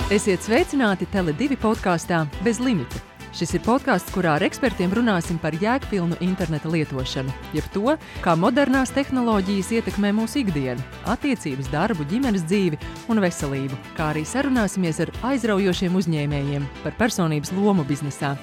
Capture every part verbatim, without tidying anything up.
Esiet sveicināti Tele divi podkāstā Bez limita. Šis ir podkāsts, kurā ar ekspertiem runāsim par jēgpilnu interneta lietošanu, jeb to, kā modernās tehnoloģijas ietekmē mūsu ikdienu, attiecības, darbu, ģimenes dzīvi un veselību, kā arī sarunāsimies ar aizraujošiem uzņēmējiem par personības lomu biznesā.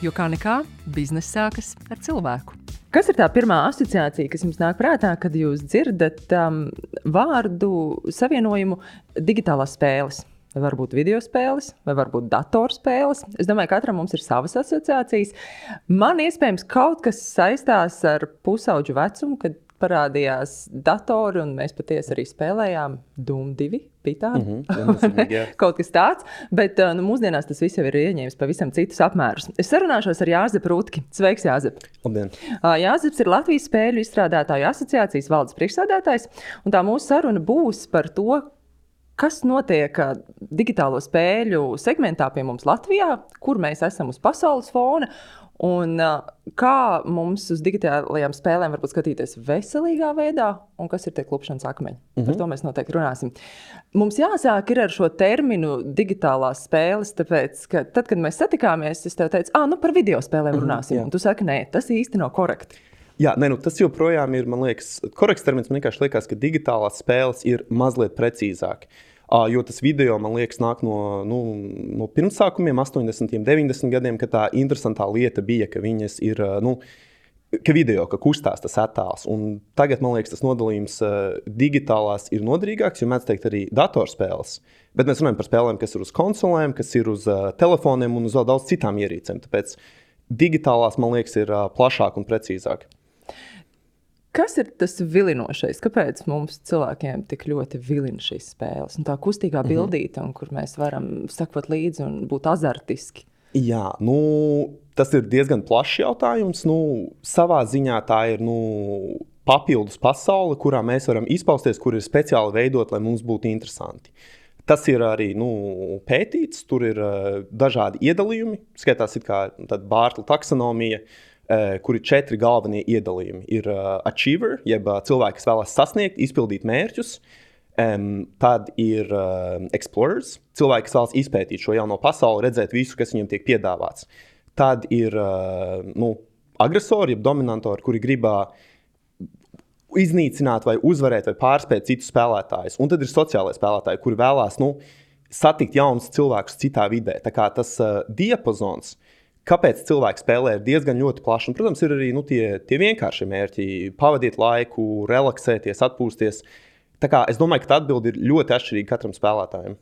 Jo kā nekā, bizness sākas ar cilvēku. Kas ir tā pirmā asociācija, kas jums nāk prātā, kad jūs dzirdat um, vārdu savienojumu digitālās spēles? Vai varbūt video spēles, vai varbūt datorspēles. Es domāju, ka katram mums ir savas asociācijas. Man iespējams kaut kas saistās ar pusauģu vecumu, kad parādījās datori, un mēs patiesi arī spēlējām Doom divi, bija tāda. Mm-hmm, jā, kaut kas tāds, bet nu, mūsdienās tas viss jau ir ieņēmis pavisam citus apmērus. Es sarunāšos ar Jāzepu Rutki. Sveiks, Jāzep! Labdien! Jāzeps ir Latvijas spēļu izstrādātāju asociācijas valdes priekšsēdētājs, un tā mūsu saruna būs par to, kas notiek digitālo spēļu segmentā pie mums Latvijā, kur mēs esam uz pasaules fona, un kā mums uz digitālajām spēlēm varbūt skatīties veselīgā veidā, un kas ir tie klupšanas akmeņi. Mm-hmm. Par to mēs noteikti runāsim. Mums jāsāk ir ar šo terminu digitālās spēles, tāpēc, ka tad, kad mēs satikāmies, es tev teicu, ah, nu par video spēlēm runāsim, mm-hmm, un tu saki, nē, tas īsti nav korekti. Jā, ne, nu, tas joprojām ir, man liekas, korekts termins. Man vienkārši liekas, ka digitālās spēles ir mazliet precīzāk. Uh, jo tas video, man liekas, nāk no, nu, no pirmsākumiem, astoņdesmitiem, deviņdesmitiem gadiem, kad tā interesantā lieta bija, ka viņas ir, uh, nu, ka video, ka kustās tas attēls. Un tagad, man liekas, tas nodalījums uh, digitālās ir noderīgāks, jo mēdz teikt arī datorspēles. Bet mēs runājam par spēlēm, kas ir uz konsolēm, kas ir uz uh, telefoniem un uz vēl daudz citām ierīcēm. Tāpēc digitālās, man liekas, ir uh, plašāk un precīzāk. Kas ir tas vilinošais? Kāpēc mums cilvēkiem tik ļoti vilina šīs spēles? Un tā kustīgā bildīte, un kur mēs varam sakot līdzi un būt azartiski. Jā, nu, tas ir diezgan plašs jautājums. Nu, savā ziņā tā ir nu, papildus pasaule, kurā mēs varam izpausties, kur ir speciāli veidot, lai mums būtu interesanti. Tas ir arī nu, pētīts, tur ir uh, dažādi iedalījumi. Skaitās it kā tad Bārtla taksonomija, Uh, kur ir četri galvenie iedalījumi. Ir uh, achiever, jeb uh, cilvēki, kas vēlas sasniegt, izpildīt mērķus. Um, tad ir uh, explorers, cilvēki, kas vēlas izpētīt šo jauno pasauli, redzēt visu, kas viņiem tiek piedāvāts. Tad ir uh, nu, agresori, jeb dominantori, kuri gribā iznīcināt vai uzvarēt vai pārspēt citus spēlētājus. Un tad ir sociālai spēlētāji, kuri vēlās nu, satikt jaunus cilvēkus citā vidē. Tā kā tas uh, diapazons, kāpēc cilvēki spēlē, ir diezgan ļoti plašs. Un, protams, ir arī nu, tie, tie vienkāršie mērķi – pavadīt laiku, relaksēties, atpūsties. Tā kā es domāju, ka tā atbilde ir ļoti atšķirīga katram spēlētājam.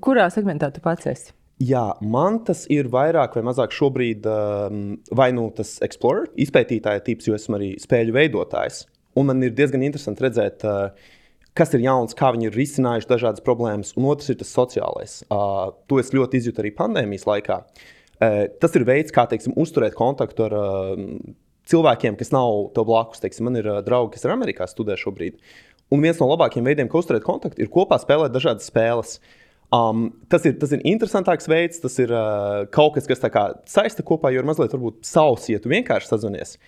Kurā segmentā tu pats esi? Jā, man tas ir vairāk vai mazāk šobrīd um, vai nu tas explorer, izpētītāja tips, jo esmu arī spēļu veidotājs. Un man ir diezgan interesanti redzēt, uh, kas ir jauns, kā viņi ir risinājuši dažādas problēmas. Un otrs ir tas sociālais. Uh, to es ļoti izjūtu arī pandēmijas laikā. Uh, tas ir veids, kā teiksim, uzturēt kontaktu ar uh, cilvēkiem, kas nav tev blakus. Teiksim, man ir uh, draugi, kas ir Amerikā studē šobrīd. Un viens no labākajiem veidiem, kā uzturēt kontaktu, ir kopā spēlēt dažādas spēles. Um, tas, ir, tas ir interesantāks veids, tas ir uh, kaut kas, kas tā kā saista kopā, jo ir mazliet varbūt savs, ja tu vienkārši sazvanies.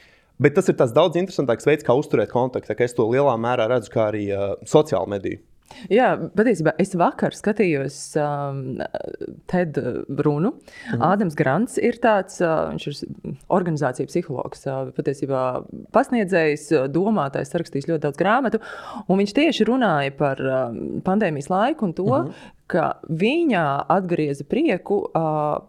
Bet tas ir tas daudz interesantāks veids, kā uzturēt kontaktu. Tā kā es to lielā mērā redzu kā arī uh, sociālu mediju. Jā, patiesībā es vakar skatījos um, TED runu. Mhm. Ādams Grants ir tāds, uh, viņš ir organizācija psihologs, uh, patiesībā pasniedzējs, domātājs, sarakstījis ļoti daudz grāmatu, un viņš tieši runāja par um, pandēmijas laiku un to, mhm. ka viņā atgrieza prieku uh,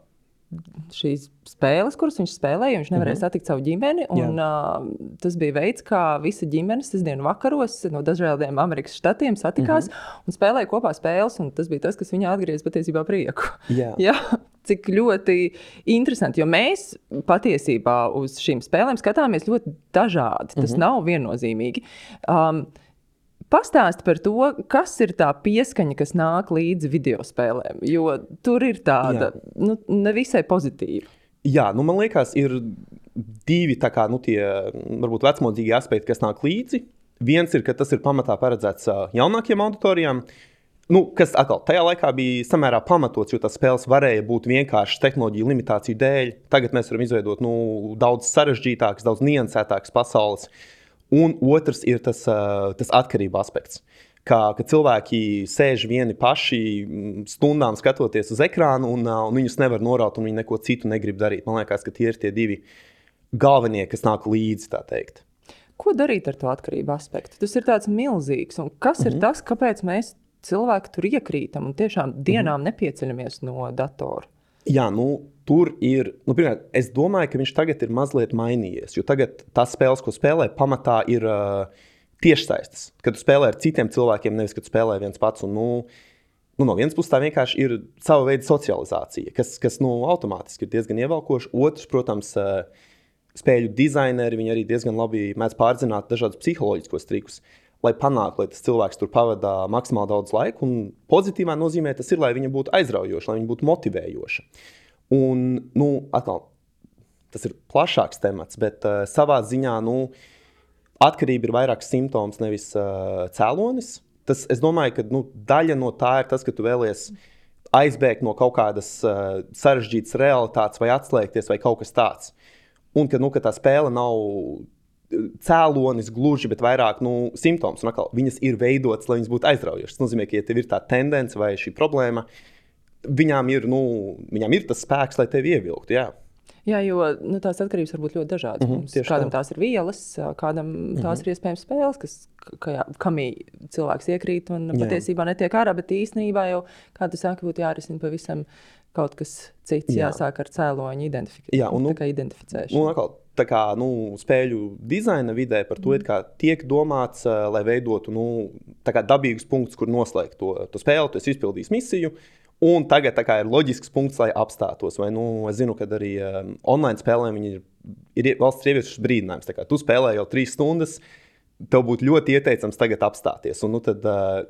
šīs spēles, kuras viņš spēlēja, viņš nevarēja mm-hmm. satikt savu ģimeni, un uh, tas bija veids, kā visa ģimene sestdienu vakaros no dažādiem Amerikas štatiem satikās mm-hmm. un spēlēja kopā spēles, un tas bija tas, kas viņā atgrieza patiesībā prieku. Yeah. Jā, cik ļoti interesanti, jo mēs patiesībā uz šīm spēlēm skatāmies ļoti dažādi, tas mm-hmm. nav viennozīmīgi. Um, Pastāsti par to, kas ir tā pieskaņa, kas nāk līdzi video spēlēm, jo tur ir tāda nu, nevisai pozitīva. Jā, nu man liekas, ir divi tā kā, nu, tie varbūt vecmodzīgi aspekti, kas nāk līdzi. Viens ir, ka tas ir pamatā paredzēts jaunākiem auditorijām, nu, kas atkal tajā laikā bija samērā pamatots, jo tās spēles varēja būt vienkārši tehnoloģiju limitāciju dēļ. Tagad mēs varam izveidot nu, daudz sarežģītākas, daudz niansētākas pasaules. Un otrs ir tas, tas atkarība aspekts. ka, ka cilvēki sēž vieni paši stundām skatoties uz ekrānu, un, un viņus nevar noraut, un viņi neko citu negrib darīt. Man liekas, ka tie ir tie divi galvenie, kas nāk līdzi, tā teikt. Ko darīt ar to atkarību aspektu? Tas ir tāds milzīgs, un kas mm-hmm. ir tas, kāpēc mēs cilvēki tur iekrītam un tiešām dienām mm-hmm. nepieceļamies no datora? Jā, nu, tur ir, nu, pirmkārt, es domāju, ka viņš tagad ir mazliet mainījies, jo tagad tās spēles, ko spēlē, pamatā ir uh, tiešsaistes, kad tu spēlē ar citiem cilvēkiem, nevis, kad tu spēlē viens pats, un, nu, nu, no vienas puses tā vienkārši ir sava veida socializācija, kas, kas nu, automātiski ir diezgan ievelkoši. Otrs, protams, uh, spēļu dizaineri, viņi arī diezgan labi mēdz pārzināt dažādus psiholoģiskos trikus, lai panāktu, lai tas cilvēks tur pavadā maksimāli daudz laika, un pozitīvā nozīmē tas ir, lai viņa būtu aizraujoša, lai viņa būtu motivējoša. Un, nu, atkal, tas ir plašāks temats, bet uh, savā ziņā, nu, atkarība ir vairāk simptoms, nevis uh, cēlonis. Tas, es domāju, ka, nu, daļa no tā ir tas, ka tu vēlies aizbēgt no kaut kādas uh, sarežģītas realitātes vai atslēgties vai kaut kas tāds. Un, ka, nu, ka tā spēle nav cēlonis gluži, bet vairāk nu, simptoms. Un atkal, viņas ir veidotas, lai viņas būtu aizraujošas. Tas nozīmē, ka, ja tev ir tā tendence vai šī problēma, viņām ir, nu, viņām ir tas spēks, lai tevi ievilktu. Jā, jā jo nu, tās atkarības var būt ļoti dažādas. Mm-hmm, kādam tā. Tās ir vielas, kādam mm-hmm. tās ir iespējams spēles, kas, ka, kamī cilvēks iekrīt un jā. Patiesībā netiek ārā, bet īstenībā jau, kā tu sāki, būtu jārisina pavisam kaut kas cits, jā. Jāsāk ar cēloņu identifikāciju. Jā, un, nu, tā kā identificēšanu. Nu, atkal, tā kā nu, spēļu dizaina vidē par to mm. tiek domāts, uh, lai veidotu nu, dabīgus punktus, kur noslēgt to, to spēli, tu esi izpildījis misiju, un tagad kā, ir loģisks punkts, lai apstātos. Vai, nu, es zinu, ka arī um, online spēlēm viņi ir, ir valsts ieviešas brīdinājums. Tā kā tu spēlē jau trīs stundas, tev būtu ļoti ieteicams tagad apstāties. Un, nu, tad, uh,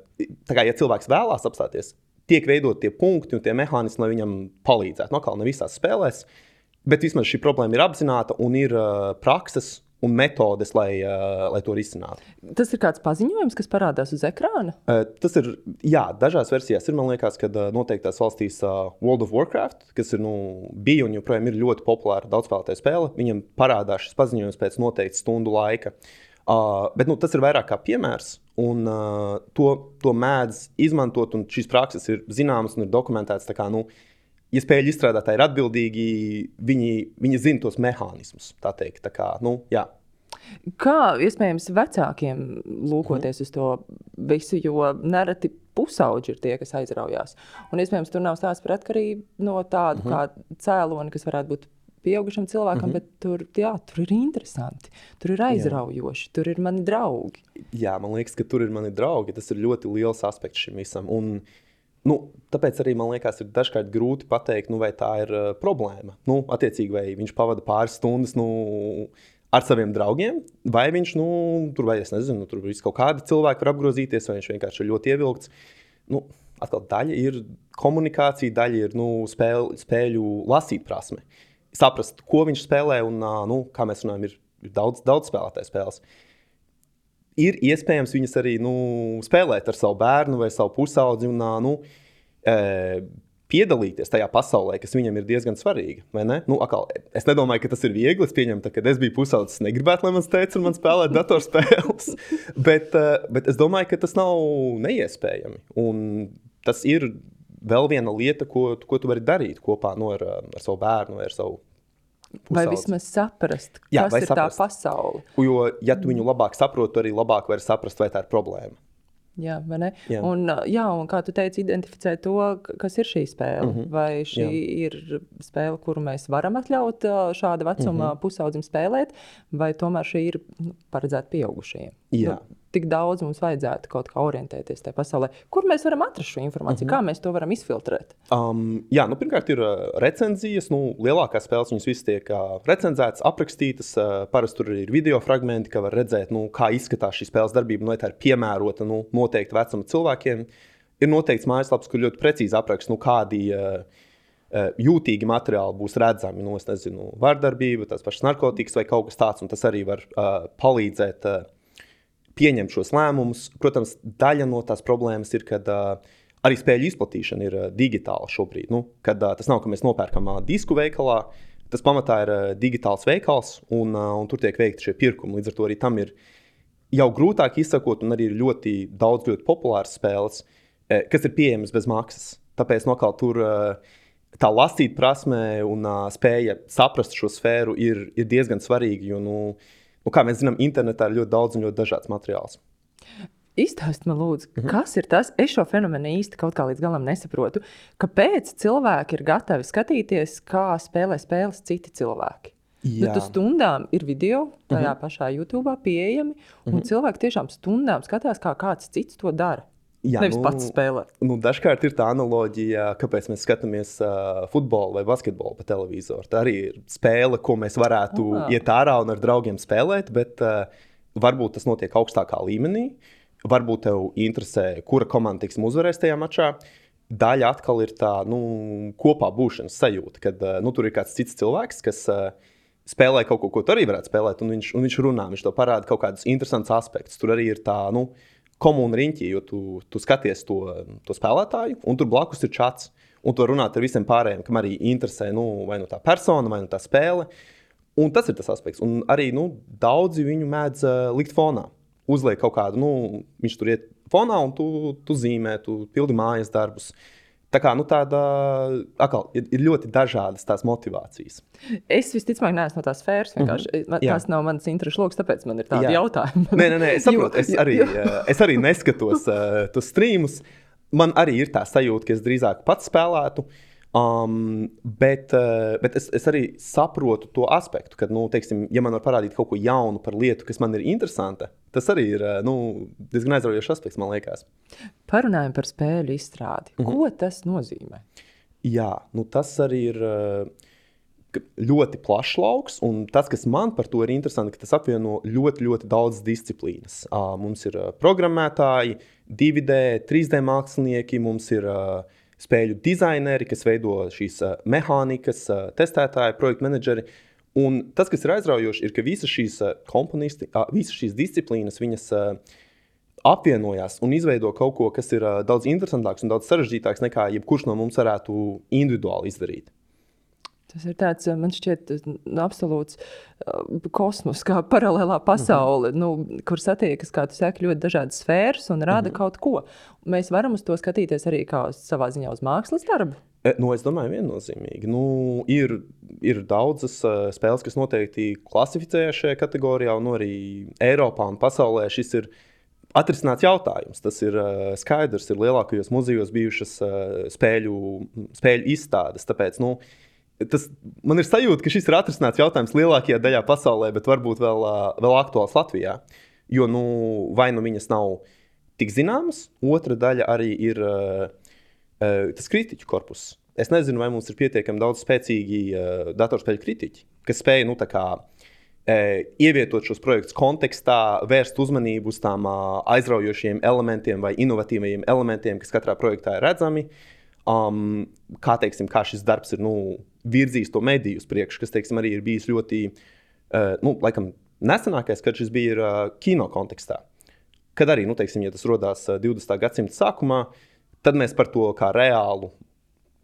tā kā, ja cilvēks vēlās apstāties, tiek veidot tie punkti un tie mehānismi, lai viņam palīdzētu. No kā ne visās spēlēs, bet vismaz šī problēma ir apzināta un ir uh, prakses un metodes, lai, uh, lai to risinātu. Tas ir kāds paziņojums, kas parādās uz ekrāna? Uh, tas ir, jā, dažās versijās ir, man liekas, kad uh, noteiktās valstīs uh, World of Warcraft, kas ir, nu, bija un joprojām ir ļoti populāra daudzspēlētāja spēle, viņam parādās šis paziņojums pēc noteikta stundu laika. Uh, bet nu, tas ir vairāk kā piemērs, un uh, to, to mēdz izmantot, un šīs prakses ir zināmas un ir dokumentētas. Tā kā, nu, ja spēļu izstrādātāji ir atbildīgi, viņi, viņi zina tos mehānismus, tā teikt. Tā kā, nu, jā. Kā iespējams vecākiem lūkoties mm. uz to visu, jo nereti pusauģi ir tie, kas aizraujās. Un iespējams tur nav stāsts par atkarību no tādu mm. kā cēloni, kas varētu būt pieaugušam cilvēkam, mm-hmm. bet tur, jā, tur ir interesanti, tur ir aizraujoši, jā. Tur ir mani draugi. Jā, man liekas, ka tur ir mani draugi. Tas ir ļoti liels aspekts šim visam. Un, nu, tāpēc arī man liekas, ir dažkārt grūti pateikt, nu, vai tā ir uh, problēma. Nu, attiecīgi, vai viņš pavada pāris stundas nu, ar saviem draugiem, vai viņš, nu, tur, vai es nezinu, tur viss kaut kādi cilvēki var apgrozīties, vai viņš vienkārši ir ļoti ievilkts. Nu, atkal daļa ir komunikācija, daļa ir nu, spēļu, spēļu lasīt prasme. Saprast, ko viņš spēlē, un, nu, kā mēs runājam, ir, ir daudz, daudz spēlētāju spēles. Ir iespējams viņas arī nu, spēlēt ar savu bērnu vai savu pusaudzi un nu, e, piedalīties tajā pasaulē, kas viņam ir diezgan svarīga. Vai ne? Nu, akal, es nedomāju, ka tas ir viegli. Es pieņemu, kad es biju pusaudzis, negribētu, lai mans teica un man spēlēt datorspēles. bet, bet es domāju, ka tas nav neiespējami. Un tas ir vēl viena lieta, ko, ko tu vari darīt kopā no, ar, ar savu bērnu vai ar savu pusaudzi. Vai vismaz saprast, kas jā, ir saprast. Tā pasaule. Jo, ja tu viņu labāk saproti, tu arī labāk vari saprast, vai tā ir problēma. Jā, vai ne? Jā. Un, jā, un kā tu teici, identificēt to, kas ir šī spēle. Mm-hmm. Vai šī jā. Ir spēle, kuru mēs varam atļaut šāda vecuma mm-hmm. pusaudzim spēlēt, vai tomēr šī ir nu, paredzēta pieaugušajiem? Jā. Nu, tik daudz mums vajadzētu kaut kā orientēties tajā pasaulē. Kur mēs varam atrast šo informāciju? Mm-hmm. Kā mēs to varam izfiltrēt? Um, jā, nu pirmkārt ir uh, recenzijas. Nu, lielākās spēles viņas visas tiek uh, recenzētas, aprakstītas. Uh, parasti tur ir video fragmenti, ka var redzēt, nu, kā izskatās šī spēles darbība, nu, vai tā ir piemērota nu, noteikti vecuma cilvēkiem. Ir noteikts mājaslaps, kur ļoti precīzi apraksta, nu, kādi uh, uh, jūtīgi materiāli būs redzami. Nu, es nezinu, vardarbība, tās pašas narkotikas vai kaut kas tāds, un tas arī var uh, palīdzēt uh, pieņemt šos lēmumus. Protams, daļa no tās problēmas ir, kad uh, arī spēļu izplatīšana ir uh, digitāla šobrīd. Nu, kad uh, tas nav, ka mēs nopērkam uh, disku veikalā, tas pamatā ir uh, digitāls veikals, un, uh, un tur tiek veikti šie pirkumi. Līdz ar to arī tam ir jau grūtāk izsakot, un arī ir ļoti daudz ļoti populāras spēles, kas ir pieejamas bez maksas. Tāpēc nokaut tur tā lasīt prasme un spēja saprast šo sfēru ir, ir diezgan svarīga, jo, nu, nu, kā mēs zinām, internetā ir ļoti daudz un ļoti dažāds materiāls. Izstāst man, lūdzu, mm-hmm. kas ir tas? Es šo fenomenu īsti kaut kā līdz galam nesaprotu. Kāpēc cilvēki ir gatavi skatīties, kā spēlē spēles citi cilvēki? Nu, tu stundām ir video tajā mm-hmm. pašā YouTube pieejami, un mm-hmm. cilvēki tiešām stundām skatās, kā kāds cits to dara. Jā, Nevis nu, pats spēlēt. Nu, dažkārt ir tā analoģija, kāpēc mēs skatāmies uh, futbolu vai basketbolu pa televizoru. Tā arī ir spēle, ko mēs varētu ah. iet ārā un ar draugiem spēlēt, bet uh, varbūt tas notiek augstākā līmenī. Varbūt tev interesē, kura komanda tiksim uzvarēs tajā mačā. Daļa atkal ir tā nu, kopā būšanas sajūta, kad uh, nu, tur ir kāds cits cilvēks, kas uh, spēlē kaut ko, ko tu arī varētu spēlēt, un viņš, un viņš runā, viņš tev parāda kaut kādus interesantus aspektus. Tur arī ir tā, nu, komūna riņķī, jo tu, tu skaties to, to spēlētāju, un tur blakus ir čats, un tu runāt ar visiem pārējiem, kam arī interesē nu, vai nu tā persona, vai nu tā spēle. Un tas ir tas aspekts. Un arī nu, daudzi viņu mēdz uh, likt fonā. Uzliek kaut kādu, nu, viņš tur iet fonā, un tu, tu zīmē, tu pildi mājas darbus. Tā kā, nu, tāda, akal, ir, ir ļoti dažādas tās motivācijas. Es visticamāk neesmu no tās sfēras, vienkārši. Mm-hmm. Tas nav mans interešu loks, tāpēc man ir tādi Jā. jautājumi. Nē, nē, nē, es saprotu, es arī, es arī neskatos uh, tos streamus. Man arī ir tā sajūta, ka es drīzāk pats spēlētu, um, bet, uh, bet es, es arī saprotu to aspektu, ka, nu, teiksim, ja man var parādīt kaut ko jaunu par lietu, kas man ir interesanta, tas arī ir nu, diezgan aizraujošs aspekts, man liekas. Parunājam par spēļu izstrādi. Mm-hmm. Ko tas nozīmē? Jā, nu, tas arī ir ļoti plašs lauks, un tas, kas man par to ir interesanti, ka tas apvieno ļoti, ļoti daudz disciplīnas. Mums ir programmētāji, divi D, trīs D mākslinieki, mums ir spēļu dizaineri, kas veido šīs mehānikas, testētāji, projektu menedžeri. Un tas, kas ir aizraujoši, ir, ka visas šīs komponisti, visas šīs disciplīnas, viņas apvienojās un izveido kaut ko, kas ir daudz interesantāks un daudz sarežģītāks nekā jebkurš no mums varētu individuāli izdarīt. Tas ir tāds, man šķiet, absolūts kosmos, kā paralēlā pasaule, mm-hmm. nu, kur satiekas, kā tu saki, ļoti dažādas sfēras un rāda mm-hmm. kaut ko. Mēs varam uz to skatīties arī kā savā ziņā uz mākslas darbu? Nu, es domāju, viennozīmīgi. Nu, ir, ir daudzas uh, spēles, kas noteikti klasificējas šajā kategorijā, un arī Eiropā un pasaulē šis ir atrisināts jautājums. Tas ir uh, skaidrs, ir lielākajos muzejos bijušas uh, spēļu, spēļu izstādes. Tāpēc, nu, tas, man ir sajūta, ka šis ir atrisināts jautājums lielākajā daļā pasaulē, bet varbūt vēl, uh, vēl aktuāls Latvijā. Jo nu, vai nu viņas nav tik zināmas, otra daļa arī ir uh, uh, tas kritiķu korpus. Es nezinu, vai mums ir pietiekami daudz spēcīgi uh, datorspēļu kritiķi, kas spēj nu, tā kā, uh, ievietot šos projektus kontekstā, vērst uzmanību uz tām uh, aizraujošiem elementiem vai inovatīvajiem elementiem, kas katrā projektā ir redzami. Um, kā, teiksim, kā šis darbs ir nu, virzījis to mediju uz priekšu, kas teiksim, arī ir bijis ļoti, uh, nu, laikam, nesenākais, kad šis bija uh, kino kontekstā. Kad arī, nu, teiksim, ja tas rodās uh, divdesmitā gadsimta sākumā, tad mēs par to kā reālu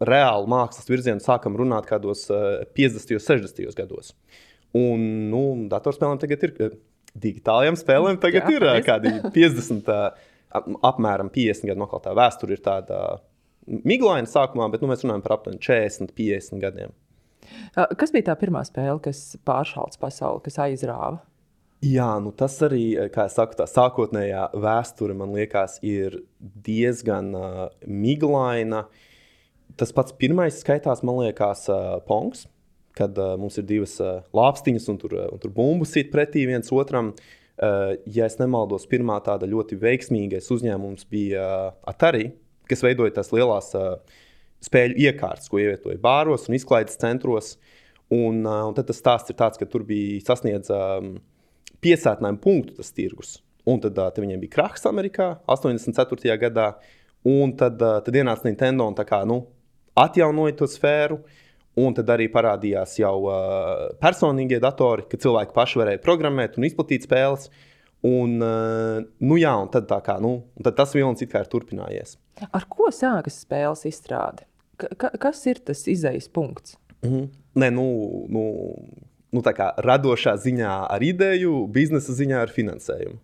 reāli mākslas virzienu sākam runāt kādos uh, piecdesmitajos, sešdesmitajos gados. Un, nu, datorspēlēm tagad ir, digitālajām spēlēm tagad Jā, ir uh, kādi piecdesmit, uh, apmēram piecdesmit gadu nokaltā vēsture ir tāda miglaina sākumā, bet nu, mēs runājam par aptuveni četrdesmit, piecdesmit gadiem. Kas bija tā pirmā spēle, kas pāršalts pasauli, kas aizrāva? Jā, nu tas arī, kā es saku, tā sākotnējā vēsture, man liekas, ir diezgan uh, miglaina. Tas pats pirmais skaitās, man liekas, uh, Pongs, kad uh, mums ir divas uh, lāpstiņas un tur, uh, un tur bumbu sit pretī viens otram. Uh, ja es nemaldos, pirmā tāda ļoti veiksmīgais uzņēmums bija uh, Atari, kas veidoja tās lielās uh, spēļu iekārtas, ko ievietoja bāros un izklaides centros. Un, uh, un tad tas stāsts ir tāds, ka tur bija sasniedz um, piesātinājumu punktu tas tirgus. Un tad, uh, tad viņiem bija krahs Amerikā astoņdesmit ceturtajā gadā. Un tad, uh, tad ienāca Nintendo un tā kā, nu, atjaunoja to sfēru, un tad arī parādījās jau uh, personīgie datori, ka cilvēki paši varēja programmēt un izplatīt spēles. Un, uh, nu jā, un tad, tā kā, nu, un tad tas vilnis it kā ir turpinājies. Ar ko sākas spēles izstrāde? Ka, kas ir tas izejas punkts? Mm-hmm. Nē, nu, nu, nu tā kā radošā ziņā ar ideju, biznesa ziņā ar finansējumu.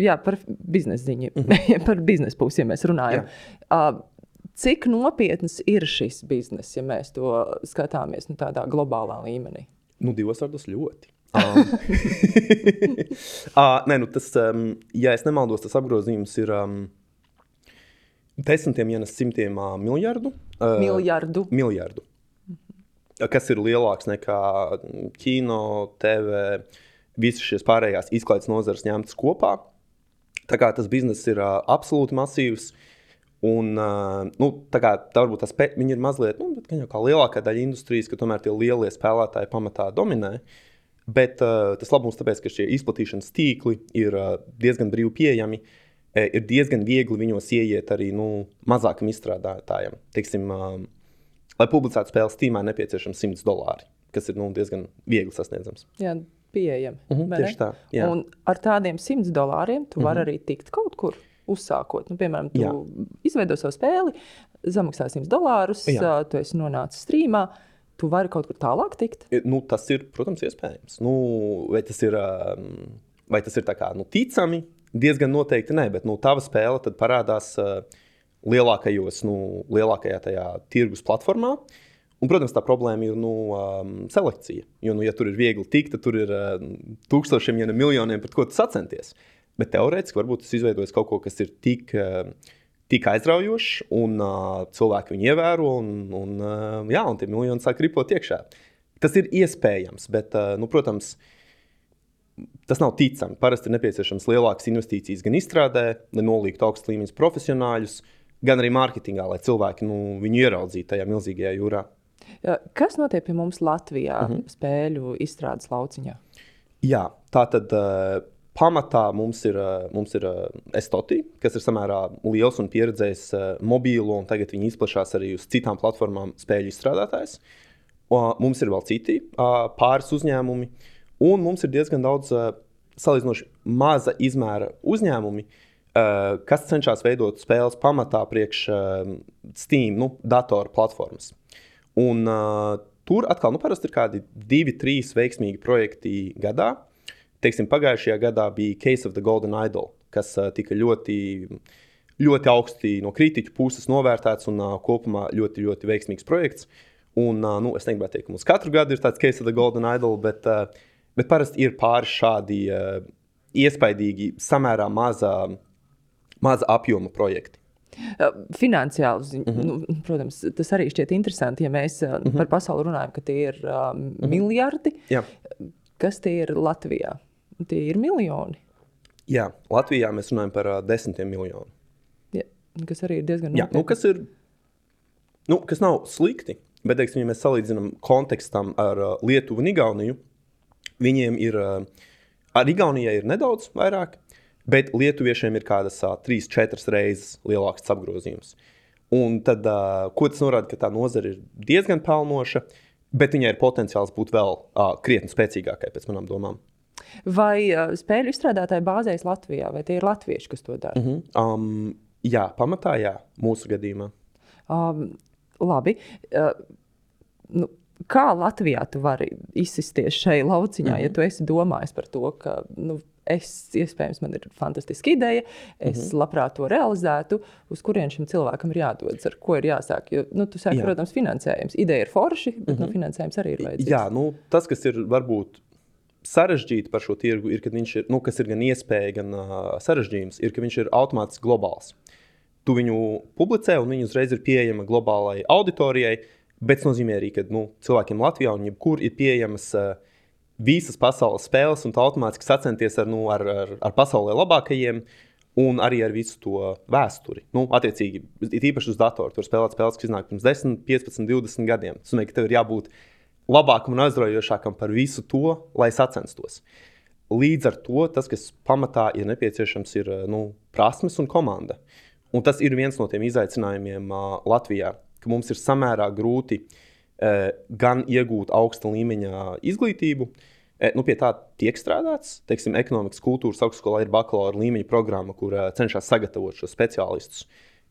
Jā, par biznesa ziņu, mm-hmm. par biznesa pusi, ja mēs runājam. Uh, cik nopietnas ir šis bizness, ja mēs to skatāmies nu, tādā globālā līmenī? Nu, divos vārdos ļoti. um. uh, nē, nu tas, um, ja es nemaldos, tas apgrozījums ir um, desmitiem, ja ne simtiem uh, miljardu. Uh, miljardu. Miljardu. Mm-hmm. Kas ir lielāks nekā kino, T V, visas šīs pārējās izklaides nozares ņemtas kopā. Tā kā tas bizness ir uh, absolūti masīvs. Un, uh, nu, tā kā tā varbūt tas pe- viņi ir mazliet, nu, bet jau kā lielākā daļa industrijas, ka tomēr tie lielie spēlētāji pamatā dominē. Bet uh, tas labums tāpēc, ka šie izplatīšanas tīkli ir uh, diezgan brīvi pieejami, e, ir diezgan viegli viņos ieiet arī nu, mazākam izstrādātājam. Teiksim, uh, lai publicētu spēles Steamā, nepieciešams simts dolāri, kas ir nu, diezgan viegli sasniedzams. Jā, pieejami. Uh-huh, tieši tā. Jā. Un ar tādiem simts dolāriem tu vari uh-huh. arī tikt kaut kur uzsākot. Nu, piemēram, tu jā. izveido savu spēli, samaksā simts dolārus, jā. tu esi nonācis streamā, tu vari kaut kur tālāk tikt? Nu, tas ir, protams, iespējams. Nu, vai tas ir, vai tas ir tā kā, nu, ticami? Diezgan noteikti nē, bet nu, tava spēle tad parādās uh, lielākajos, nu, lielākajā tajā tirgus platformā. Un, protams, tā problēma ir nu, um, selekcija. Jo, nu, ja tur ir viegli tikt, tad tur ir uh, tūkstošiem, ja ne miljoniem, pret ko tu sacenties. Bet teorētiski varbūt tas izveidojas kaut ko, kas ir tik, uh, tik aizraujošs, un uh, cilvēki viņu ievēro, un, un, uh, jā, un tie miljoni sāk ripot iekšā. Tas ir iespējams, bet, uh, nu, protams, tas nav ticami. Parasti ir nepieciešams lielākas investīcijas gan izstrādē, lai nolīgtu augstu līmeņus profesionāļus, gan arī mārketingā, lai cilvēki nu, viņu ieraudzītu tajā milzīgajā jūrā. Kas notiek pie mums Latvijā uh-huh. spēļu izstrādes lauciņā? Jā, tā tad uh, pamatā mums ir, uh, mums ir uh, Estoti, kas ir samērā liels un pieredzējis uh, mobīlo, un tagad viņi izplašās arī uz citām platformām spēļu izstrādātājs. Uh, mums ir vēl citi uh, pāris uzņēmumi, un mums ir diezgan daudz uh, salīdzinoši maza izmēra uzņēmumi, uh, kas cenšas veidot spēles pamatā priekš uh, Steam, nu, datoru platformas. Un, uh, tur atkal nu, parasti ir kādi divi, trīs veiksmīgi projekti gadā. Teiksim, pagājušajā gadā bija Case of the Golden Idol, kas uh, tika ļoti, ļoti augsti no kritiķu puses novērtēts un uh, kopumā ļoti, ļoti veiksmīgs projekts. Un, uh, nu, es negribētu teikt, ka mums katru gadu ir tāds Case of the Golden Idol, bet, uh, bet parasti ir pāris šādi uh, iespaidīgi, samērā maza, maza apjoma projekti. Finansiāli, uh-huh. nu, protams, tas arī šķiet interesanti, ja mēs uh-huh. par pasauli runājam, ka tie ir uh, uh-huh. miljardi. Jā. Kas tie ir Latvijā? Tie ir miljoni. Jā, Latvijā mēs runājam par uh, desmitiem miljonu. Jā, kas arī ir diezgan Jā, nu, kas ir, nu, kas nav slikti, bet, teiksim, ja mēs salīdzinām kontekstam ar uh, Lietuvu un Igauniju, viņiem ir, uh, ar Igaunijai ir nedaudz vairāk, bet lietuviešiem ir kādas uh, trīs, četras reizes lielāks apgrozījums. Un tad, uh, ko tas norāda, ka tā nozara ir diezgan pelnoša, bet viņai ir potenciāls būt vēl uh, krietni spēcīgākai, pēc manām domām. Vai uh, spēļu izstrādātāji bāzējas Latvijā, vai tie ir latvieši, kas to dara? Uh-huh. Um, jā, pamatā jā, mūsu gadījumā. Um, labi. Uh, nu, kā Latvijā tu vari izsisties šai lauciņā, uh-huh. ja tu esi domājis par to, ka... Nu, Es, iespējams, man ir fantastiska ideja, es uh-huh. labprāt to realizētu, uz kurien šim cilvēkam ir jādodas, ar ko ir jāsāk. Jo, nu, tu sāki, Jā. protams, finansējums. Ideja ir forši, bet uh-huh. nu, finansējums arī ir vajadzīgs. Jā, nu, tas, kas ir varbūt sarežģīti par šo tirgu, ir, kad viņš ir, nu, kas ir gan iespēja, gan uh, sarežģījums, ir, ka viņš ir automātiski globāls. Tu viņu publicē, un viņa uzreiz ir pieejama globālai auditorijai, bet tas nozīmē arī, ka nu, cilvēkiem Latvijā un jebkur ir pieejamas uh, visas pasaules spēles, un tā automātiski sacenties ar, nu, ar, ar, ar pasaulē labākajiem, un arī ar visu to vēsturi. Nu, attiecīgi, īpaši uz datoru. Tur spēlēt spēles, kas iznāk pirms desmit, piecpadsmit, divdesmit gadiem. Tas nozīmē, ka tev ir jābūt labākam un aizraujošākam par visu to, lai sacenstos. Līdz ar to tas, kas pamatā ir nepieciešams, ir nu, prasmes un komanda. Un tas ir viens no tiem izaicinājumiem uh, Latvijā, ka mums ir samērā grūti uh, gan iegūt augsta līmeņa izglītību, Nu, pie tā tiek strādāts. Teiksim, ekonomikas kultūras augstskolā ir bakalaura līmeņa programma, kur uh, cenšas sagatavot šos speciālistus.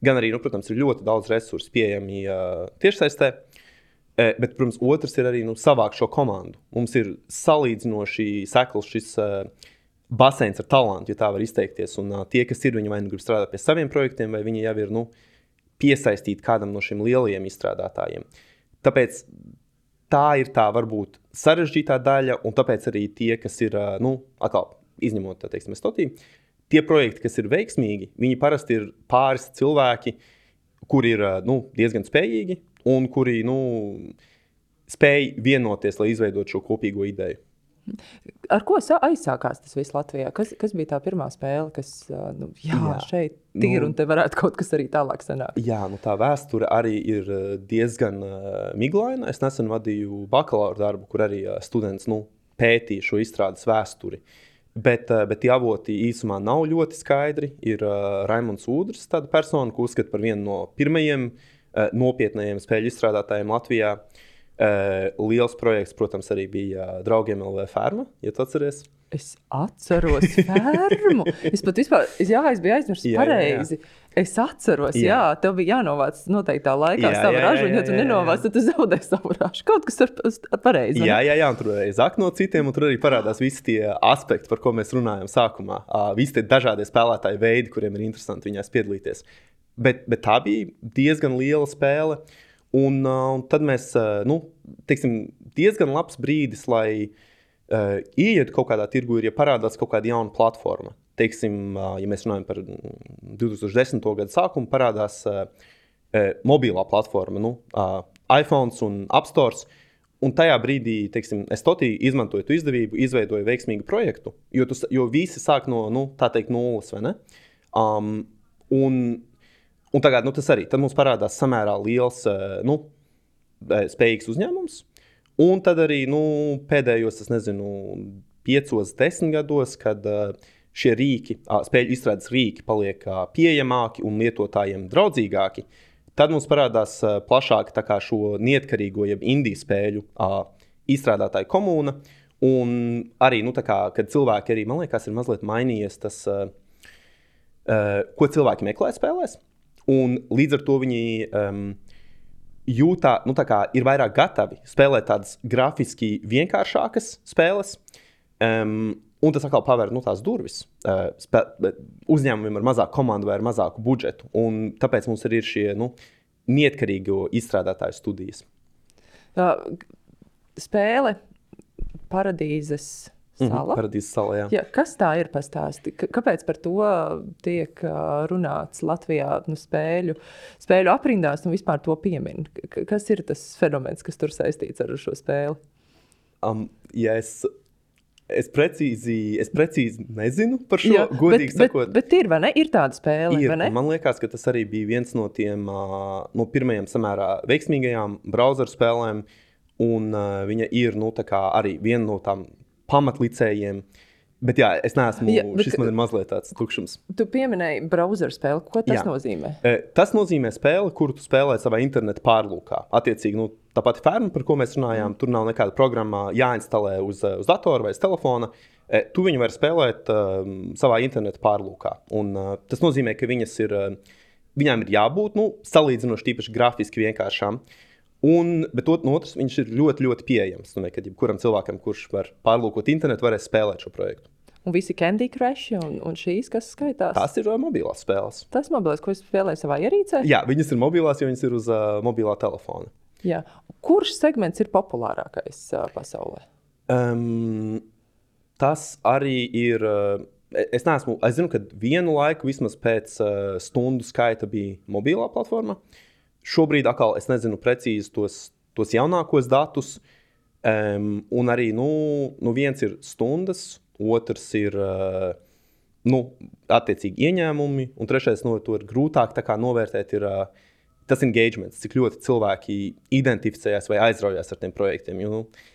Gan arī, nu, protams, ir ļoti daudz resursu pieejami uh, tiešsaistē, uh, bet, protams, otrs ir arī nu, savākt šo komandu. Mums ir salīdzinoši sekls šis uh, baseins ar talantu, ja tā var izteikties. Un uh, tie, kas ir, viņi vai nu grib strādāt pie saviem projektiem, vai viņi jau ir nu, piesaistīti kādam no šiem lielajiem izstrādātājiem. Tāpēc tā ir tā varbūt sarežģītā daļa, un tāpēc arī tie, kas ir, uh, nu, atkal izņemot, teiksim, Estotī, tie projekti, kas ir veiksmīgi, viņi parasti ir pāris cilvēki, kuri ir uh, nu, diezgan spējīgi un kuri nu, spēj vienoties, lai izveidot šo kopīgo ideju. Ar ko aizsākās tas viss Latvijā? Kas, kas bija tā pirmā spēle, kas nu, jā, jā, šeit ir nu, un te varētu kaut kas arī tālāk sanākt? Jā, nu tā vēsture arī ir diezgan uh, miglaina. Es nesen vadīju bakalaura darbu, kur arī uh, students nu, pētīja šo izstrādes vēsturi. Bet, uh, bet tie avoti īsumā nav ļoti skaidri. Ir uh, Raimonds Ūdrs, tāda persona, ko uzskata par vienu no pirmajiem uh, nopietnējiem spēļu izstrādātājiem Latvijā. Uh, liels projekts, protams, arī bija uh, Draugiem L V Ferma, ja tu atceries. Es atceros fermu. Es pat vispār, es, jā, es biju aizmirsis pareizi. Jā, jā. Es atceros, jā. jā, tev bija jānovāc noteiktā laikā jā, savu ražu, un ja tu nenovāc, tad tu zaudē savu ražu. Kaut kas ar, ar pareizi. Jā, jā, jā, un tur arī zāk no citiem, un tur arī parādās visi tie aspekti, par ko mēs runājam sākumā. Uh, visi tie dažādie spēlētāji veidi, kuriem ir interesanti viņās piedalīties. Bet, bet tā bija diezgan liela spēle. Un, uh, un tad mēs, uh, nu, teiksim, diezgan labs brīdis, lai uh, ieietu kaut kādā tirgu, ir, ja parādās kaut kāda jauna platforma. Teiksim, uh, ja mēs runājam par divi tūkstoši desmito gadu sākumu, parādās uh, uh, mobilā platforma, nu, uh, iPhone un App Store. Un tajā brīdī, teiksim, Estotī izmantoja tu izdevību, izveidoja veiksmīgu projektu, jo, tu, jo visi sāk no, nu, tā teikt, nulles, vai ne? Um, un Un tagad nu, tas arī. Tad mums parādās samērā liels, nu, spējīgs uzņēmums. Un tad arī nu, pēdējos, es nezinu, piecos, desmit gados, kad šie rīki, spēļu izstrādes rīki paliek pieejamāki un lietotājiem draudzīgāki, tad mums parādās plašāk tā kā šo neatkarīgo, jeb indie spēļu izstrādātāju komūna. Un arī, nu, tā kā, kad cilvēki arī, man liekas, ir mazliet mainījies tas, ko cilvēki meklē spēlēs. Un līdz ar to viņi um, jūtā, nu tā kā ir vairāk gatavi spēlēt tādas grafiski vienkāršākas spēles. Um, un tas atkal paver nu, tās durvis uh, spē, uzņēmumiem ar mazāku komandu vai ar mazāku budžetu. Un tāpēc mums arī ir šie nu, neatkarīgo izstrādātāju studijas. Tā, spēle Paradīzes sala. Mm-hmm, Paradīzes sala, jā. Jā, kas tā ir pastāsti? K- kāpēc par to tiek uh, runāts Latvijā nu, spēļu, spēļu aprindās un vispār to piemin? K- kas ir tas fenomens, kas tur saistīts ar šo spēli? Um, ja es, es, precīzi, es precīzi nezinu par šo, jā, godīgi bet, sakot. Bet, bet ir, vai ne? Ir tāda spēle, ir, vai ne? Man liekas, ka tas arī bija viens no tiem uh, no pirmajiem samērā veiksmīgajām browseru spēlēm. Un uh, viņa ir nu, tā kā arī viena no tām pamatlicējiem. Bet jā, es neesmu, jā, bet, šis man ir mazliet tāds tukšums. Tu pieminēji browser spēli. Ko tas jā. nozīmē? E, tas nozīmē spēli, kuru tu spēlē savā interneta pārlūkā. Attiecīgi, nu, tā pati ferma, par ko mēs runājām, mm. tur nav nekāda programma jāinstalē uz, uz datora vai uz telefona. E, tu viņu vari spēlēt uh, savā interneta pārlūkā. Un uh, tas nozīmē, ka viņas ir, uh, viņām ir jābūt nu, salīdzinoši tīpaši grafiski vienkāršām. Un, bet ot, no otras, viņš ir ļoti, ļoti pieejams. Nu, kad jebkuram cilvēkam, kurš var pārlūkot internetu, varēs spēlēt šo projektu. Un visi Candy Crush un, un šīs, kas skaitās? Tās ir uh, mobilās spēles. Tas mobilās, ko es spēlēju savā ierīcē? Jā, viņas ir mobilās, jo viņas ir uz uh, mobilā telefona. Jā. Kurš segments ir populārākais uh, pasaulē? Um, tas arī ir... Uh, es neesmu... Es zinu, ka vienu laiku vismaz pēc uh, stundu skaita bija mobilā platforma. Šobrīd atkal es nezinu precīzi tos, tos jaunākos datus, um, un arī nu, nu viens ir stundas, otrs ir uh, nu, attiecīgi ieņēmumi, un trešais no to ir grūtāk tā kā novērtēt ir uh, tas engagements, cik ļoti cilvēki identificējās vai aizraujās ar tiem projektiem. Jo, nu,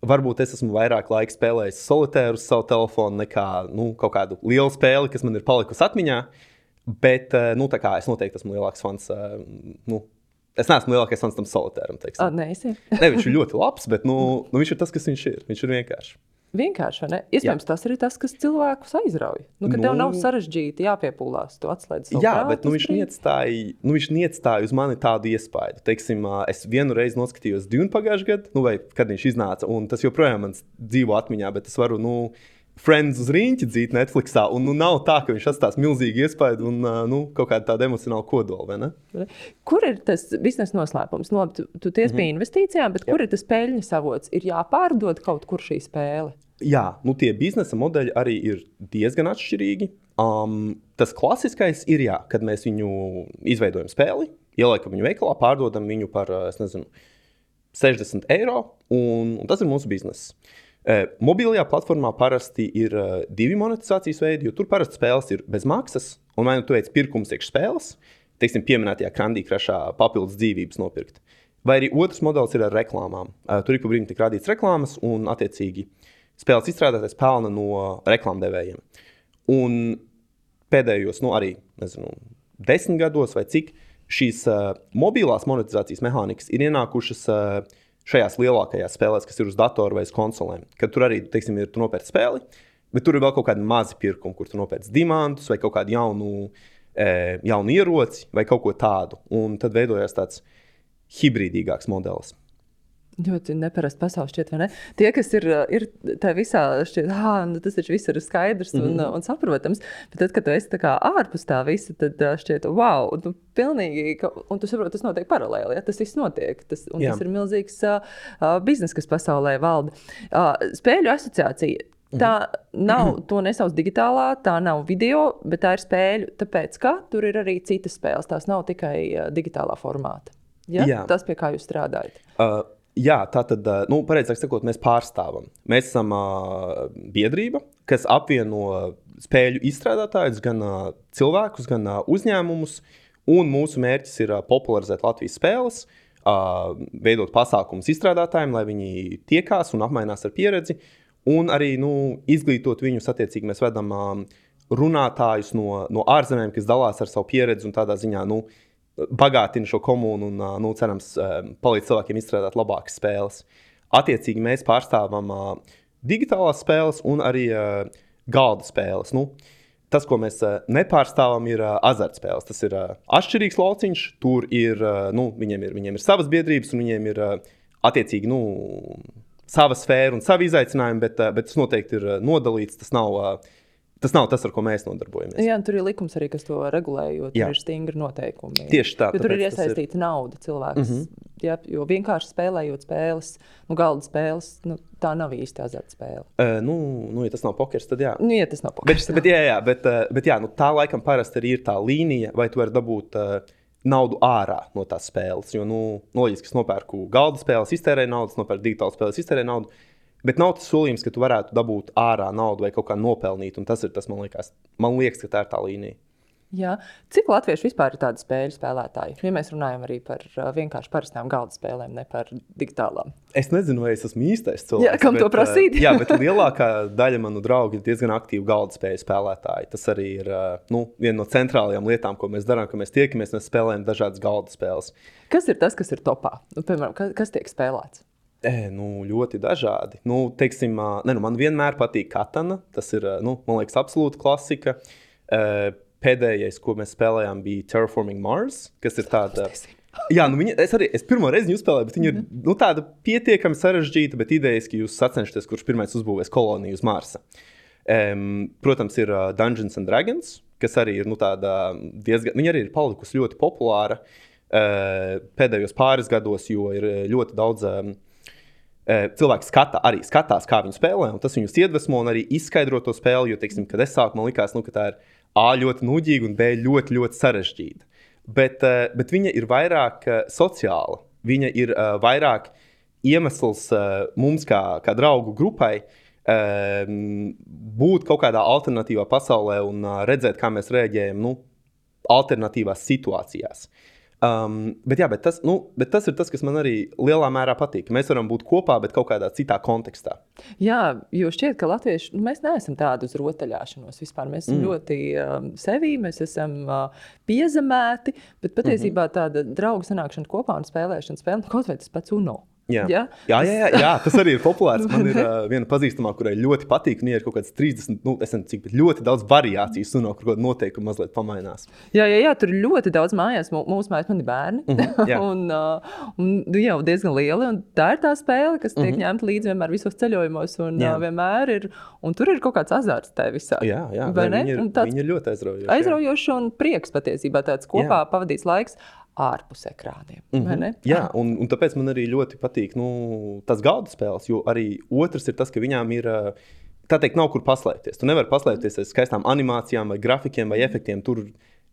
varbūt es esmu vairāk laika spēlējis solitēru uz savu telefonu nekā nu, kaut kādu lielu spēli, kas man ir palikusi atmiņā. Bet, nu, tā kā es noteikti esmu lielāks fans, nu, es neesmu lielākais fans tam solitēram, teiksim. A, nē, es ir. Ne, viņš ir ļoti labs, bet, nu, nu, viņš ir tas, kas viņš ir. Viņš ir vienkārši. Vienkārši, ne? Iespējams, jā. Tas arī tas, kas cilvēkus aizrauj. Nu, kad nu, tev nav sarežģīti jāpiepūlās, tu atslēdz savu jā, prātu. Bet nu, viņš neiestāja, nu, viņš neiestāja uz mani tādu iespaidu. Teiksim, es vienu reizi noskatījos Dune pagājušajā gadā, nu, vai kad viņš iznāca, un tas joprojām man dzīvo atmiņā, bet es varu, nu, Friends uz rīņķi dzīt Netflixā, un nu, nav tā, ka viņš atstās milzīgi iespaidu un uh, nu, kaut kādu tādu emocionālu kodolu, vai ne? Kur ir tas biznesa noslēpums? No, tu, tu ties pie mm-hmm. investīcijām, bet Jā. Kur ir tas peļņas avots? Ir jāpārdod kaut kur šī spēle? Jā, nu tie biznesa modeļi arī ir diezgan atšķirīgi. Um, tas klasiskais ir, jā, kad mēs viņu izveidojam spēli, ieliekam viņu veikalā, pārdodam viņu par, es nezinu, sešdesmit eiro, un, un tas ir mūsu bizness. Uh, mobilajā platformā parasti ir uh, divi monetizācijas veidi, jo tur parasti spēles ir bez maksas, un vai nu tu veic pirkums iekš spēles, teiksim, pieminētajā Candy Crushā papildus dzīvības nopirkt. Vai arī otrs modelis ir ar reklāmām. Uh, tur ik pa brīdim tiek rādīts reklāmas, un attiecīgi spēles izstrādātais pelna no reklāmdevējiem. Un pēdējos, nu arī, nezinu, desmit gados vai cik, šīs uh, mobilās monetizācijas mehānikas ir ienākušas uh, šajās lielākajās spēlēs, kas ir uz datoru vai uz konsolēm. Kad tur arī, teiksim, ir tu nopērci spēli, bet tur ir vēl kaut kādi mazi pirkumi, kur tu nopērci diamantus vai kaut kādu jaunu, e, jaunu ieroci vai kaut ko tādu. Un tad veidojās tāds hibrīdīgāks modelis. Ļoti neparasti pasauli šķiet, vai ne? Tie, kas ir, ir tā visā šķiet, ah, nu tas taču viss ir skaidrs un, mm-hmm. un saprotams, bet tad, kad tu esi tā kā ārpus tā visa, tad šķiet, wow, tu pilnīgi, un tu saproti, tas notiek paralēli, ja? Tas viss notiek, tas, un Jā. Tas ir milzīgs uh, biznes, kas pasaulē valda. Uh, spēļu asociācija. Tā nav, to nesauc digitālā, tā nav video, bet tā ir spēļu, tāpēc, ka tur ir arī citas spēles, tās nav tikai uh, digitālā formāta. Ja? Jā. Tas, pie kā jūs strādājat. Uh. Jā, tā tad, nu, pareizāk sakot, mēs pārstāvam. Mēs esam uh, biedrība, kas apvieno spēļu izstrādātājus, gan uh, cilvēkus, gan uh, uzņēmumus, un mūsu mērķis ir uh, popularizēt Latvijas spēles, uh, veidot pasākumus izstrādātājiem, lai viņi tiekās un apmainās ar pieredzi, un arī, nu, izglītot viņus, attiecīgi mēs vedam uh, runātājus no, no ārzemēm, kas dalās ar savu pieredzi un tādā ziņā, nu, bagātina šo komunu un, nu, cerams, palīdz cilvēkiem izstrādāt labākas spēles. Attiecīgi mēs pārstāvam uh, digitālās spēles un arī uh, galda spēles. Nu, tas, ko mēs uh, nepārstāvam, ir uh, azartspēles. Tas ir uh, atšķirīgs lauciņš, tur ir, uh, nu, viņiem ir, viņiem ir savas biedrības un viņiem ir uh, attiecīgi, nu, sava sfēra un savi izaicinājumi, bet, uh, bet tas noteikti ir uh, nodalīts, tas nav... Uh, Tas nav tas, ar ko mēs nodarbojamies. Jā, tur ir likums arī, kas to regulē, jo tur Jā. Ir stingri noteikumi. Tieši tā. Jo tur ir iesaistīta ir... nauda cilvēks. Mm-hmm. Jā, jo vienkārši spēlējot spēles, nu, galda spēles, nu, tā nav īsti azartspēle. Uh, nu, nu, ja tas nav pokers, tad jā. Nu, ja tas nav pokers. Bet, bet, jā, jā, bet, bet jā, nu, tā laikam parasti arī ir tā līnija, vai tu vari dabūt uh, naudu ārā no tās spēles. Jo, nu, loģiski, es nopērku galda spēles, iztērēju naudu, nopērku digitālas spēles, iztērēju naudu. Bet nav tas solījums, ka tu varētu dabūt ārā naudu vai kaut kā nopelnīt, un tas ir tas, man liekas, man liekas, ka tā ir tā līnija. Jā. Cik latvieši vispār ir tādi spēļu spēlētāji? Ja mēs runājam arī par uh, vienkārši parastām galda spēlēm, ne par digitālām. Es nezinu, vai es esmu īstais cilvēks. Jā, kam bet, to prasīt? jā, bet lielākā daļa manu draugu ir diezgan aktīvi galda spēļu spēlētāji. Tas arī ir uh, nu, viena no centrālajām lietām, ko mēs darām, ka mēs tiekamies, mēs spēlējam dažādas galda spēles. Kas ir tas, kas ir topā? Nu, piemēram, kas, kas tiek spēlēts? E, nu, ļoti dažādi. Nu, teiksim, ne, nu, man vienmēr patīk Katana. Tas ir, nu, man liekas, absolūta klasika. E, pēdējais, ko mēs spēlējām, bija Terraforming Mars, kas ir tāda... Jā, nu, viņa, es arī es pirmo reizi viņu spēlēju, bet viņa ir mm-hmm. nu, tāda pietiekami sarežģīta, bet idejas, ka jūs sacenšaties, kurš pirmais uzbūvēs koloniju uz Marsa. E, protams, ir uh, Dungeons and Dragons, kas arī ir, nu, tāda diezgan... Viņa arī ir palikusi ļoti populāra e, pēdējos pāris gados, jo ir ļoti daudz... Um, cilvēki skata, arī skatās, kā viņi spēlē, un tas viņus iedvesmo un arī izskaidro to spēli, jo, teiksim, kad es sāku, man likās, nu, ka tā ir A ļoti nudīga un B ļoti, ļoti sarežģīta. Bet, bet viņa ir vairāk sociāla. Viņa ir vairāk iemesls mums, kā, kā draugu grupai, būt kaut kādā alternatīvā pasaulē un redzēt, kā mēs reaģējam, nu, alternatīvās situācijās. Um, bet, jā, bet, tas, nu, bet tas ir tas, kas man arī lielā mērā patīk. Mēs varam būt kopā, bet kaut kādā citā kontekstā. Jā, jo šķiet, ka latvieši, nu, mēs neesam tādi uz rotaļāšanos vispār. Mēs esam mm. ļoti um, sevī, mēs esam uh, piezemēti, bet patiesībā tāda draugu sanākšana kopā un spēlēšana spēle, kaut vai tas pats Uno. Jā. Ja? Jā, jā, jā, jā, tas arī ir populārs. Man ir uh, viena pazīstamā, kurai ļoti patīk. Viņai ir kaut kāds trīsdesmit, nu, es nezinu, cik, bet ļoti daudz variācijas. Un no kaut kāda noteikuma mazliet pamainās. Jā, jā, jā, tur ir ļoti daudz mājās. Mūsu mājās man ir bērni. Mm-hmm, un, uh, un nu, jau diezgan lieli. Un tā ir tā spēle, kas tiek mm-hmm. ņemta līdzi vienmēr visos ceļojumos. Un, uh, vienmēr ir, un tur ir kaut kāds azarts tajā visā. Jā, jā, ne, viņi, ir, viņi ir ļoti aizraujoši. Aizraujoši un prieks patiesībā tāds kopā jā. Pavadīts laiks. Ārpus ekrāniem. Mm-hmm. Jā, un, un tāpēc man arī ļoti patīk nu, tas galda spēles, jo arī otrs ir tas, ka viņām ir, tā teikt, nav kur paslēpties. Tu nevari paslēpties aiz skaistām animācijām vai grafikiem vai efektiem. Tur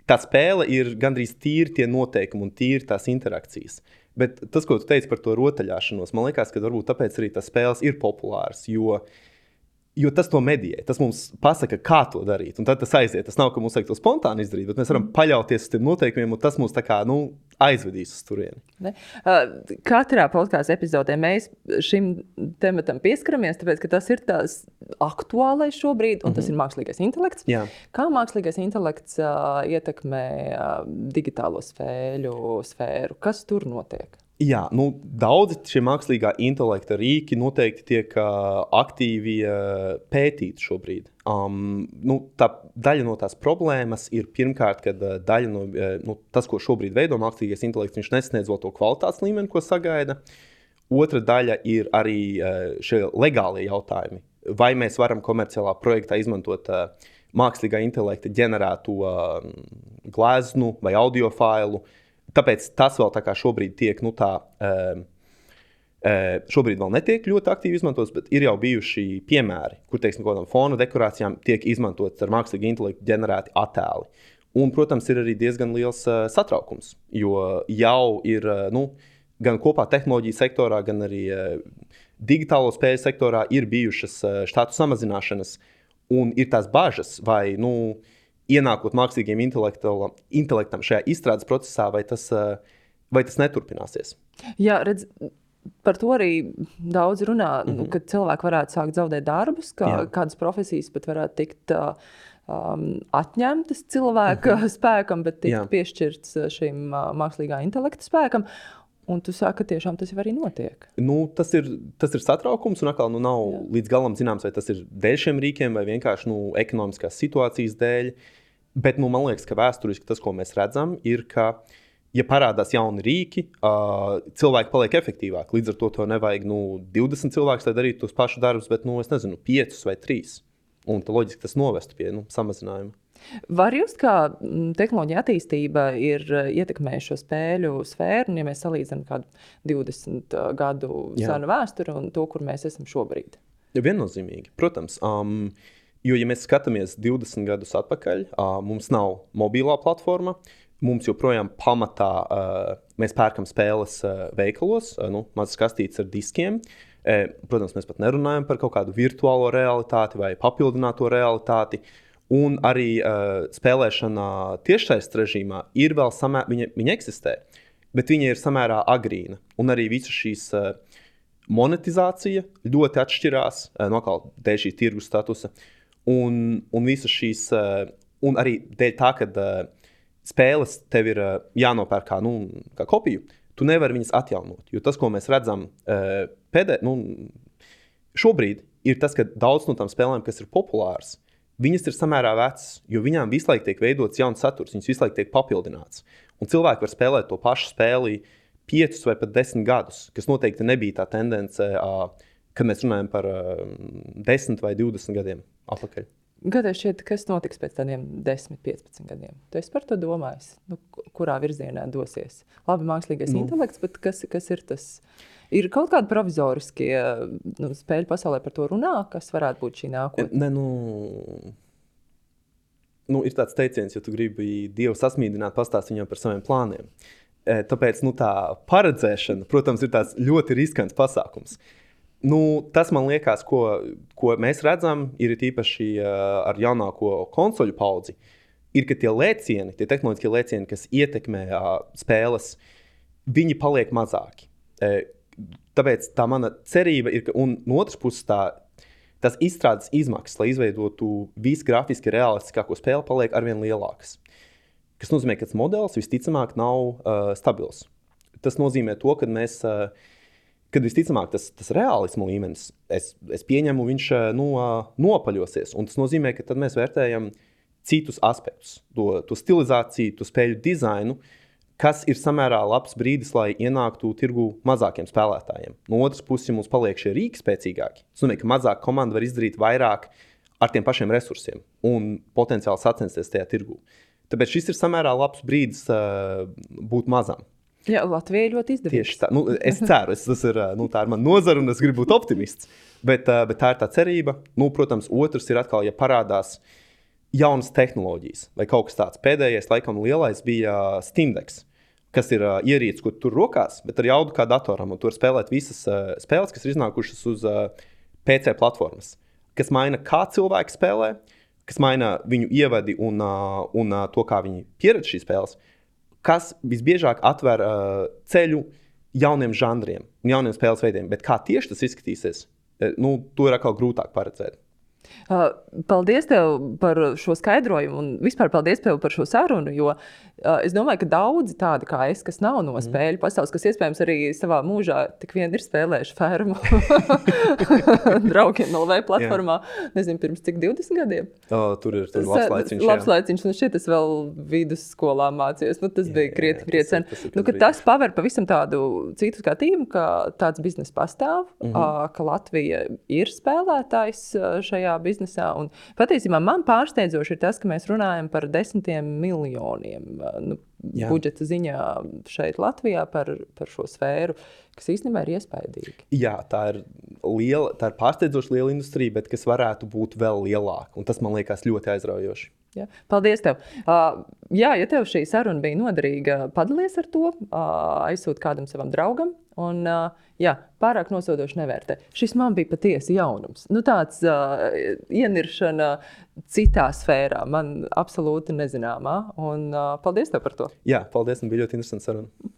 tā spēle ir gandrīz tīri tie noteikumi un tīri tās interakcijas. Bet tas, ko tu teici par to rotaļāšanos, man liekas, ka varbūt tāpēc arī tas spēles ir populārs, jo Jo tas to medijē, tas mums pasaka, kā to darīt. Un tad tas aiziet. Tas nav, ka mums vajag to spontāni izdarīt, bet mēs varam paļauties uz tiem noteikumiem, un tas mūs tā kā nu, aizvedīs uz turieni. Ne? Uh, katrā podkāstu epizodē mēs šim tematam pieskaramies, tāpēc, ka tas ir tās aktuālais šobrīd, un mm-hmm. tas ir mākslīgais intelekts. Jā. Kā mākslīgais intelekts uh, ietekmē uh, digitālo spēļu sfēru? Kas tur notiek? Jā, nu, daudzi šie mākslīgā intelekta rīki noteikti tiek uh, aktīvi uh, pētīti šobrīd. Um, nu, tā daļa no tās problēmas ir pirmkārt, kad uh, daļa no uh, nu, tas, ko šobrīd veido mākslīgais intelekts, viņš nesniedz vēl to kvalitātes līmeni, ko sagaida. Otra daļa ir arī uh, šie legālie jautājumi. Vai mēs varam komerciālā projektā izmantot uh, mākslīgā intelekta ģenerētu uh, gleznu vai audio failu. Tāpēc tas vēl tā kā šobrīd tiek, nu tā, šobrīd vēl netiek ļoti aktīvi izmantots, bet ir jau bijuši piemēri, kur, teiksim, kādām fona dekorācijām tiek izmantots ar mākslīgu intelektu ģenerēti attēli. Un, protams, ir arī diezgan liels satraukums, jo jau ir, nu, gan kopā tehnoloģiju sektorā, gan arī digitālo spēļu sektorā ir bijušas štātu samazināšanas un ir tās bažas vai, nu, ienākot mākslīgiem intelektam šajā izstrādes procesā, vai tas, vai tas neturpināsies? Jā, redz, par to arī daudz runā, mm-hmm. ka cilvēki varētu sākt zaudēt darbus, kā, kādas profesijas pat varētu tikt um, atņemtas cilvēka mm-hmm. spēkam, bet tikt Jā. Piešķirts šim uh, mākslīgā intelekta spēkam. Un tu saki, ka tiešām tas jau arī notiek. Nu, tas, ir, tas ir satraukums, un atkal nu, nav Jā. Līdz galam zināms, vai tas ir dēļ šiem rīkiem, vai vienkārši nu, ekonomiskās situācijas dēļ. Bet nu, man liekas, ka vēsturiski tas, ko mēs redzam, ir, ka, ja parādās jauni rīki, uh, cilvēki paliek efektīvāki. Līdz ar to tev nevajag nu, divdesmit cilvēkus, lai darītu tos pašus darbus, bet, nu, es nezinu, piecus vai trīs. Un tā loģiski tas novestu pie nu, samazinājuma. Var just, kā tehnoloģija attīstība ir ietekmējuši šo spēļu sfēru, un ja mēs salīdzinām kādu divdesmit gadu Jā. Senu vēsturi un to, kur mēs esam šobrīd? Ja, viennozīmīgi, protams. Um, jo, ja mēs skatāmies divdesmit gadus atpakaļ, uh, mums nav mobilā platforma, mums joprojām pamatā uh, mēs pērkam spēles uh, veikalos, uh, nu, mazas kastītes ar diskiem. Uh, protams, mēs pat nerunājam par kaut kādu virtuālo realitāti vai papildināto realitāti. Un arī uh, spēlēšana tiešsaistes režīmā ir vēl samērā, viņa, viņa eksistē, bet viņa ir samērā agrīna. Un arī visa šīs uh, monetizācija ļoti atšķirās uh, no kā dēļ šī tirgus statusa. Un, un visas šīs, uh, un arī dēļ tā, ka uh, spēles tev ir uh, jānopērk kā, nu, kā kopiju, tu nevari viņas atjaunot. Jo tas, ko mēs redzam uh, pēdē, nu, šobrīd, ir tas, ka daudz no tām spēlēm, kas ir populāras, viņas ir samērā vecas, jo viņām visu laiku tiek veidots jauns saturs, viņas visu laiku tiek papildināts. Un cilvēki var spēlēt to pašu spēli piecus vai pat desmit gadus, kas noteikti nebija tā tendence, kad mēs runājam par desmit vai divdesmit gadiem atpakaļ. Gadiem šķiet, kas notiks pēc tādiem desmit, piecpadsmit gadiem? Tu esi par to domājis? Nu, kurā virzienā dosies? Labi, mākslīgais nu. intelekts, bet kas, kas ir tas? Ir kaut kādi provizoriskie nu, spēļu pasaulē par to runā, kas varētu būt šī nākotne? Ne, nu, nu, ir tāds teiciens, ja tu gribi Dievu sasmīdināt, pastāst viņam par saviem plāniem. E, tāpēc nu, tā paredzēšana, protams, ir tāds ļoti riskants pasākums. Nu, tas man liekas, ko, ko mēs redzam, ir īpaši uh, ar jaunāko konsoļu paudzi, ir, ka tie lēcieni, tie tehnoloģiskie lēcieni, kas ietekmē uh, spēles, viņi paliek mazāki. E, Tāpēc tā mana cerība ir, ka, un no otras puses tā, tās izstrādes izmaksas, lai izveidotu visu grafiski realistiskāko spēli, paliek arvien lielākas. Kas nozīmē, ka tas modelis visticamāk nav uh, stabils. Tas nozīmē to, ka mēs, uh, kad visticamāk tas, tas realisma līmenis, es, es pieņemu, viņš nu, nopaļosies. Un tas nozīmē, ka tad mēs vērtējam citus aspektus, to, to stilizāciju, to spēļu dizainu, kas ir samērā labs brīdis, lai ienāktu tirgu mazākiem spēlētājiem. No otras puses, ja mums paliek šie rīki spēcīgāki, tas nozīmē, ka mazāka komanda var izdarīt vairāk ar tiem pašiem resursiem un potenciāli sacensties tajā tirgu. Tāpēc šis ir samērā labs brīdis uh, būt mazam. Jā, Latvija ļoti izdevīga. Tieši tā. Nu, es ceru, es, tas ir, nu, tā ir mana nozara un es gribu būt optimists. Bet, uh, bet tā ir tā cerība. Nu, protams, otrs ir atkal, ja parādās jaunas tehnoloģijas vai kaut kas tāds. Pēdējais, laikam, lielais bija Steam Decks, kas ir uh, ierīce, ko tur rokās, bet ar jaudu kā datoram. Un tur spēlēt visas uh, spēles, kas ir iznākušas uz uh, P C platformas, kas maina, kā cilvēki spēlē, kas maina viņu ievadi un, uh, un uh, to, kā viņi pieredz šīs spēles, kas visbiežāk atver uh, ceļu jauniem žanriem un jauniem spēles veidiem. Bet kā tieši tas izskatīsies, nu, to ir atkal grūtāk paredzēt. Uh, paldies tev par šo skaidrojumu un vispār paldies tev par šo sarunu, jo uh, es domāju, ka daudzi tādi kā es, kas nav no spēļu mm. pasaules, kas iespējams arī savā mūžā tik vien ir spēlējuši fermu draugiem L V platformā, yeah. nezinu, pirms cik divdesmit gadiem. Oh, tur ir tur labs laiciņš. Labs laiciņš, un šeit es vēl vidusskolā mācījos, nu tas jā, bija krieti, krieti sen. Tas, tas, nu, ka tas paver pavisam tādu citu skatījumu, ka tāds biznes pastāv, mm-hmm. uh, ka Latvija ir spēlētājs šajā biznesā. Un patiesībā man pārsteidzoši ir tas, ka mēs runājam par desmitiem miljoniem nu, budžeta ziņā šeit Latvijā par, par šo sfēru, kas īstenībā ir iespaidīgi. Jā, tā ir, liela, tā ir pārsteidzoši liela industrija, bet kas varētu būt vēl lielāka. Un tas man liekas ļoti aizraujoši. Jā. Paldies tev. Uh, jā, ja tev šī saruna bija noderīga, padalies ar to, uh, aizsūt kādam savam draugam. Un, uh, jā, pārāk nosodoši nevērtē. Šis man bija patiesi jaunums. Nu, tāds uh, ieniršana citā sfērā, man absolūti nezināmā. Un uh, paldies tev par to. Jā, paldies, un bija ļoti interesanti saruna.